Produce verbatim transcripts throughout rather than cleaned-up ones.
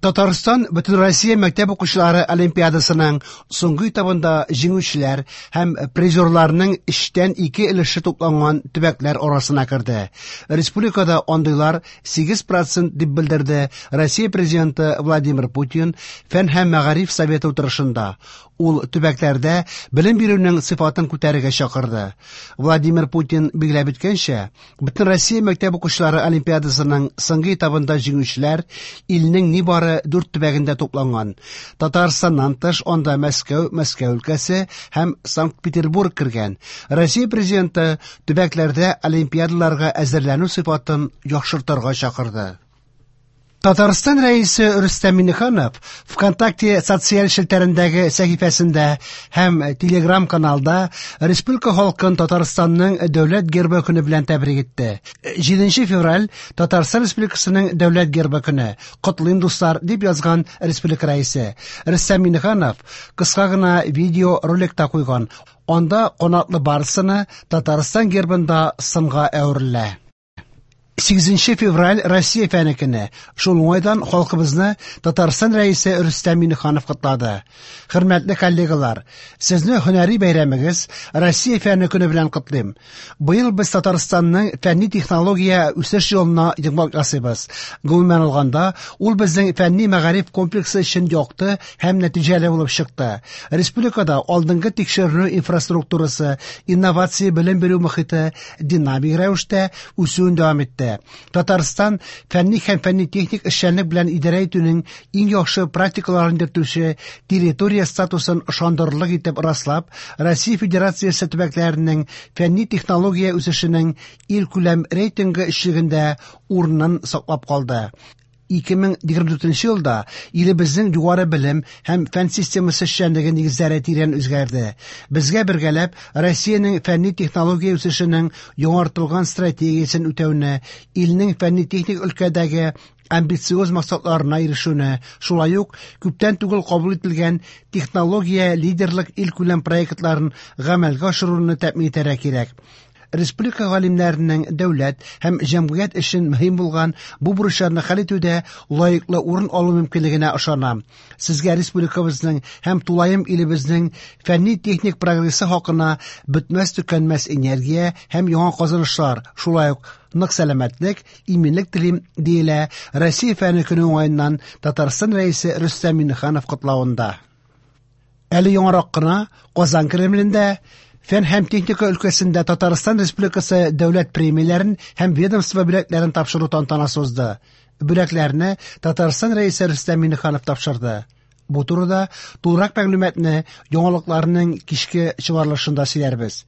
Татарстан Бөтенроссия мәктәп укучылары олимпиадасының соңгы этабында җиңүчеләр һәм призерларның өчтән ике өлеше тупланган төбәкләр арасына керде. Республикада андыйлар сигез процент дип белдерде Россия президенты Владимир Путин Фән һәм мәгариф советы утырышында. Ул төбәкләрдә белем бирүнең сыйфатын күтәрергә чакырды. Владимир Путин билгеләп үткәнчә, Бөтенроссия мәктәп укучылары олимпиадасының соңгы этабында җиңүчеләр илнең нибары дүрт төбәгендә тупланган. Татарстаннан тыш анда Мәскәү, Мәскәү өлкәсе һәм Санкт-Петербург кергән. Россия президенты төбәкләрдә олимпиадаларга әзерләнү сыйфатын яхшыртырга чакырды. Татарстан рәисе Рөстәм Миңнеханов ВКонтакте социаль челтәрендәге сәхифәсендә һәм Телеграм каналда республика халкын Татарстанның дәүләт гербы көне белән тәбрик итте. җиденче февраль Татарстан Республикасының дәүләт гербы көне. Котлыйм, дуслар, дип язган республика рәисе. Рөстәм Миңнеханов кыска гына видео ролик та куйган. Анда канатлы барсыны Татарстан гербында сынга әверелә. Сигезенче февраль Россия фәне көне. Шул уңайдан халкыбызны Татарстан рәисе Рөстәм Миңнеханов котлады. Хөрмәтле коллегалар, сезне һөнәри бәйрәмегез Россия фәне көне белән котлыйм. Быел без Татарстанның фәнни технология үсеш юлына йомгак ясыйбыз. Гомумән алганда, ул безнең фәнни мәгариф комплексы өчен якты һәм нәтиҗәле булып чыкты. Республикада алдынгы тикшеренү инфраструктурасы, инновация белем бирү мохите динамик рәвештә үсүен дәвам итте. Татарстан фәнни һәм фәнни-техник эшчәнлек белән идарә итүнең иң яхшы практикаларын йөртүче территория статусын ышандырырлык итеп раслап, Россия Федерациясе төбәкләренең фәнни технология үсешенең илкүләм рейтингы өчлегендә урынын саклап калды. Ике мең егерме дүртенче елда илебезнең югары белем һәм фән системасы эшчәнлеге нигезләре тирән үзгәрде. Безгә бергәләп Россиянең фәнни технология үсешенең яңартылган стратегиясен үтәүне, илнең фәнни-техник өлкәдәге амбициоз максатларына ирешүне, шулай ук күптән түгел кабул ителгән технология лидерлык илкүләм проектларын гамәлгә ашыруны тәэмин итәргә кирәк. Республика галимнәренең дәүләт һәм җәмгыять өчен мөһим булган бу бурычларны хәл итүдә лаеклы урын алу мөмкинлегенә ышанам. Сезгә республикабызның һәм тулаем илебезнең фәнни-техник прогрессы хакына бетмәс-төкәнмәс энергия һәм яңа казанышлар, шулай ук нык сәламәтлек, иминлек телим, диелә Россия фәне көне уңаеннан Татарстан рәисе Рөстәм Миңнеханов котлавында. Әле яңарак кына Казан Кремлендә фән һәм техника өлкәсендә Татарстан Республикасы дәүләт премияләрен һәм ведомство бүләкләрен тапшыру тантанасы узды. Бүләкләрне Татарстан рәисе Рөстәм Миңнеханов тапшырды. Бу турыда тулырак мәгълүматны яңалыкларның кичке чыгарылышында сөйләрбез.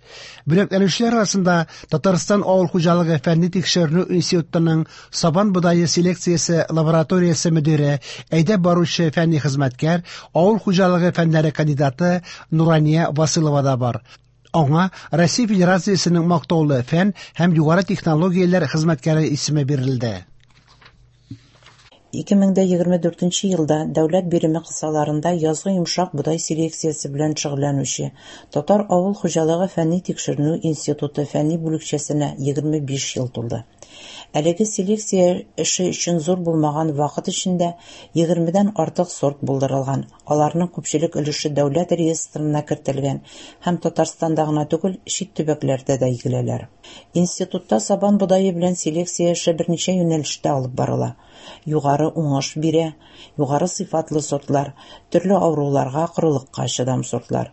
Бүләкләнүчеләр арасында Татарстан авыл хуҗалыгы фәнни тикшеренү институтының сабан бодае селекциясе лабораториясе мөдире, әйдәп баручы фәнни хезмәткәр, авыл хуҗалыгы фәннәре кандидаты Нурания Василова да бар. Аңа Россия Федерациясенең мактаулы фән һәм югары технологияләр хезмәткәре исеме бирелде. Ике мең дә егерме дүртенче елда дәүләт биреме кысаларында язгы йомшак бодай селекциясе белән шөгыльләнүче Татар авыл хуҗалыгы фәнни тикшеренү институты фәнни бүлекчәсенә егерме биш ел тулды. Әлеге селекция эше өчен зур булмаган вакыт эчендә егермедән артык сорт булдырылган. Аларның күпчелек өлеше дәүләт реестрына кертелгән һәм Татарстанда гына түгел, чит төбәкләрдә дә игеләләр. Институтта сабан бодае белән селекция эше берничә юнәлештә алып барыла. Югары уңыш бирә, югары сыйфатлы сортлар, төрле авыруларга, корылыкка чыдам сортлар.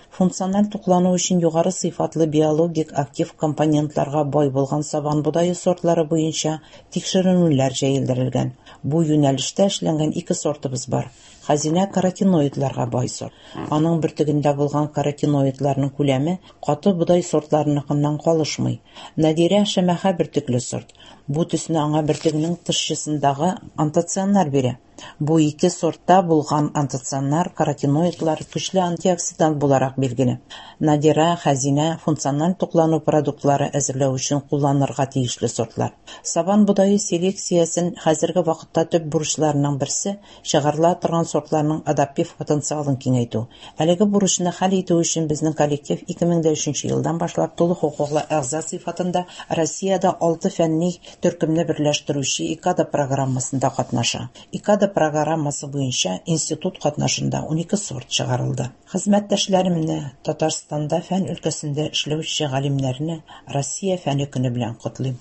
Функциональ туклану өчен югары сыйфатлы биологик актив компонентларга бай булган сабан бодае сортлары буенча тикшеренүләр җәелдерелгән. Бу юнәлештә эшләнгән ике сортыбыз бар. Хәзинә каротиноидларга бай сорт. Аның бөртегендә булган каротиноидларның күләме каты бодай сортларыныкыннан калышмый. Надирә шәмәхә бөртекле сорт. Бу төсне аңа бөртегенең тышчысындагы антоцианнар бирә. Бу ике сортта булган антоцианнар, каротиноидлар көчле антиоксидант буларак билгеле. Надира, хәзинә функциональ туклану продуктлары әзерләү өчен кулланырга тиешле сортлар. Сабан бодае селекциясен хәзерге вакытта төп бурычларының берсе чыгарыла торган сортларның адаптив потенциалын киңәйтү. Әлеге бурычны хәл итү өчен безнең коллектив ике мең дә өченче елдан башлап тулы хокуклы әгъза сыйфатында Россиядә алты фәнни төркемне берләштерүче ИКАДА программасында катнаша. ИКАДА программасы буенча институт катнашында унике сорт чыгарылды. Хезмәттәшләремне, Татарстанда фән өлкәсендә эшләүче галимнәрне Россия фәне көне белән котлыйм.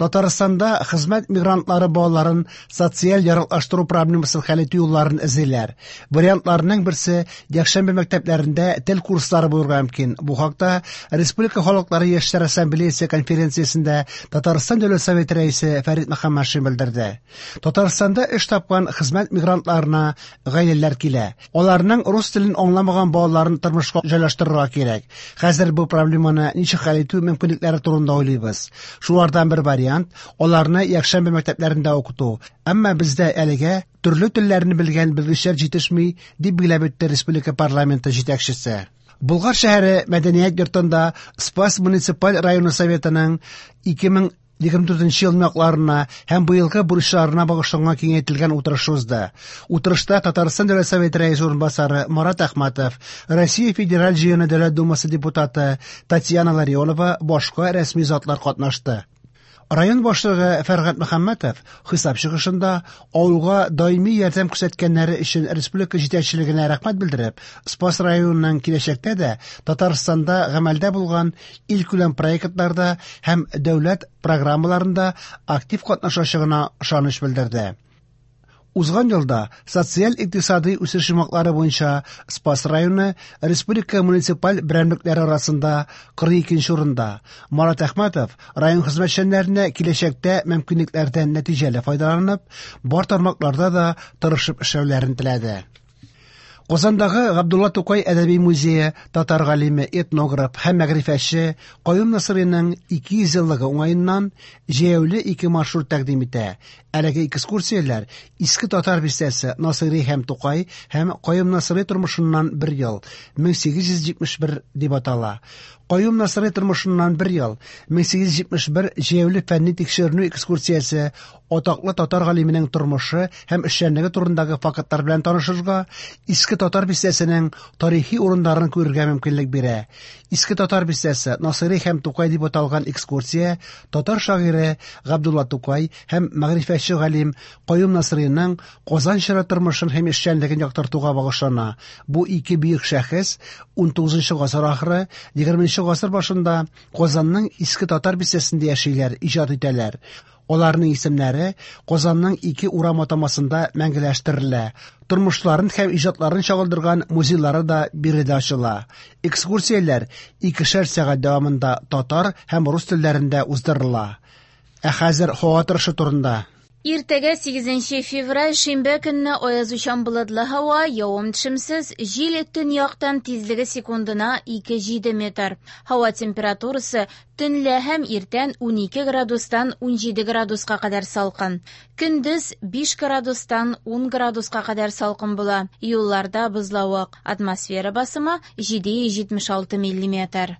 Татарстанда хезмәт мигрантлары балаларын социаль яраклаштыру проблемасын хәл итү юлларын эзлиләр. Вариантларның берсе якшәмбе мәктәпләрендә тел курслары булырга мөмкин. Бу хакта Республика халыклары яшьләр ассамблеясы конференциясендә Татарстан Дәүләт Советы рәисе Фәрит Мөхәммәтшин белдерде. Татарстанда эш тапкан хезмәт мигрантларына гаиләләр килә. Аларның рус телен аңламаган балаларын тормышка җайлаштырырга кирәк. Хәзер бу проблеманы ничек хәл итү мөмкинлекләре турында уйлыйбыз. Шулардан бер вариант аларны якшәмбе мәктәпләрендә укыту. Әмма бездә әлегә төрле телләрне белгән белгечләр җитешми, дип билгеләп үтте республика парламенты җитәкчесе. Болгар шәһәре мәдәният йортында Спас муниципаль районы советының ике мең егерме дүртенче ел якларына һәм быелгы бурычларына багышланган киңәйтелгән утырыш узды. Утырышта Татарстан Дәүләт Советы рәисе урынбасары Марат Әхмәтов, Россия Федераль Җыены Дәүләт Думасы депутаты Татьяна Ларионова, башка рәсми затлар катнашты. Район башлыгы Фәргать Мөхәммәтов хисап чыгышында авылга даими ярдәм күрсәткәннәре өчен республика җитәкчелегенә рәхмәт белдереп, Спас районының киләчәктә дә Татарстанда гамәлдә булган илкүләм проектларда һәм дәүләт программаларында актив катнашачагына ышаныч белдерде. Узган елда социаль-икътисади үсеш йомгаклары буенча Спас районы республика муниципаль берәмлекләре арасында кырык икенче урында. Марат Әхмәтов район хезмәтчәннәренә киләчәктә мөмкинлекләрдән нәтиҗәле файдаланып, бар тармакларда да тырышып эшләүләрен теләде. Казандагы Габдулла Тукай әдәби музее татар галиме, этнограф һәм мәгърифәтче Каюм Насыйриның ике йөз еллыгы уңаеннан җәяүле ике маршрут тәкъдим итә. Әлеге экскурсияләр Иске Татар бистәсе Насыйри һәм Тукай һәм Каюм Насыйри тормышыннан бер ел мең сигез йөз җитмеш бер дип атала. Каюм Насыйри тормышыннан бер ел мең сигез йөз җитмеш бер җәяүле фәнни тикшеренү экскурсиясе атаклы татар галименең тормышы һәм эшчәнлеге турындагы фактлар белән танышырга, Иске Татар бистәсенең тарихи урыннарын күрергә мөмкинлек бирә. Иске Татар бистәсе Насыйри һәм Тукай дип аталган экскурсия татар шагыйре Габдулла Тукай һәм мәгърифәтче галим Каюм Насыйриның Казан чоры тормышын һәм эшчәнлеген яктыртуга багышлана. Бу ике бөек шәхес унтугызынчы гасыр ахыры, егерменче гасыр башында Казанның Иске Татар бистәсендә яшиләр, иҗат итәләр. Аларның исемнәре Казанның ике урам атамасында мәңгеләштерелә. Тормышларын һәм иҗатларын чагылдырган музейлары да биредә ачыла. Экскурсияләр икешәр сәгать дәвамында татар һәм рус телләрендә уздырыла. Ә хәзер һава торышы турында. Иртәгә сигезенче февраль шимбә көнне аязучан болытлы һава, явым-төшемсез, җил төньяктан тизлеге секундына ике җиде метр. Һава температурасы төнлә һәм иртән унике градустан унҗиде градуска кадәр салкын. Көндез биш градустан ун градуска кадәр салкын була. Юлларда бозлавык. Атмосфера басымы җиде йөз җитмеш алты миллиметр.